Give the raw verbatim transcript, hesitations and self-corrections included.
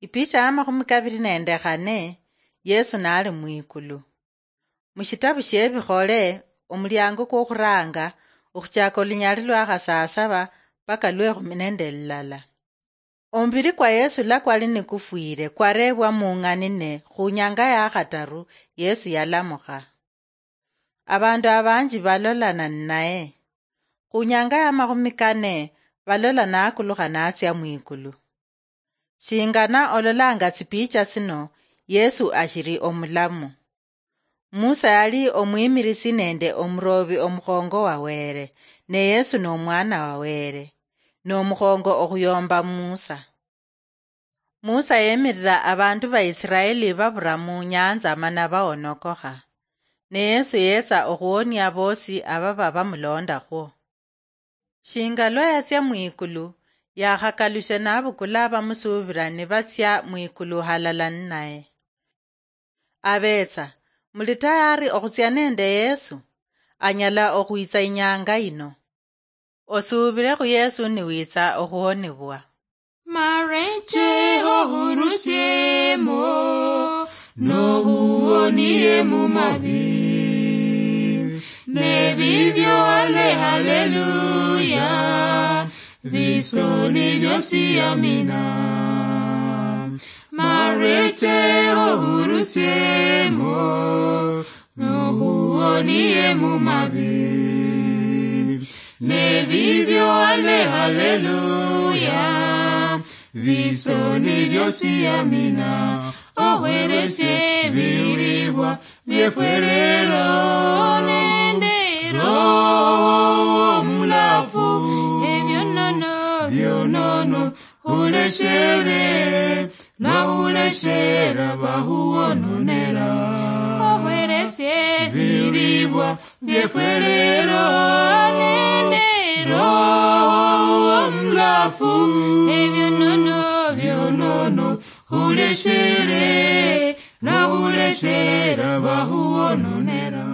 Ipicha ya makhumi kabiri nende khane, Yesu nali mwikulu. Mushitabu shiebikhole, omuliango kwokhuranga, okhuchaka olunyali lwa khasasaba paka lwekhumi nende lulala. Omubiri kwa Yesu lwa kwali nikufwire, kwarebwa mung'ani ne khunyanga ya khataru, Yesu yalamukha. Abandu abanji balolana ninaye. Khunyanga ya makhumi kane, balola nakulukha natsia mwikulu. Shingana ololanga tsipicha tsino, Yesu ashiri omulamu. Musa yali omwimirisi nende omurobi omukhongo wa Were, ne Yesu nomwana wa Were, nomukhongo okhuyomba Musa. Musa yemirira abandu ba Israeli babura mu nyanza mana baonokokha. Ne Yesu yetsa okhuonia bosi ababa bamulondakhwo. Shinga lwa yatsia mwikulu, yakhakalushe nabukula abamusuubira nibatsia mwikulu halala ninaye. Abetsa, muli tayari okhutsia nende Yesu? Anyala okhwitsa inyanga ino. Osuubire khu Yesu niwitsa okhuhonibwa. Mareche ohurusiemo, nohuonie mu mabi. Nebibyo ale haleluya, bisoni byosi amina. Mareche ohurusiemo, nohuonie mu mabi. Nebibyo ale haleluya, bisoni byosi amina. Ohweresie ebiulibwa byefwerero nende Roho Omulafu, ebyonono, byonono, huleshere, nahuleshera bahuononera. Ohweresie ebiulibwa byefwerero nende Roho Omulafu, ebyonono, byonono, huleshere, nahuleshera bahuononera.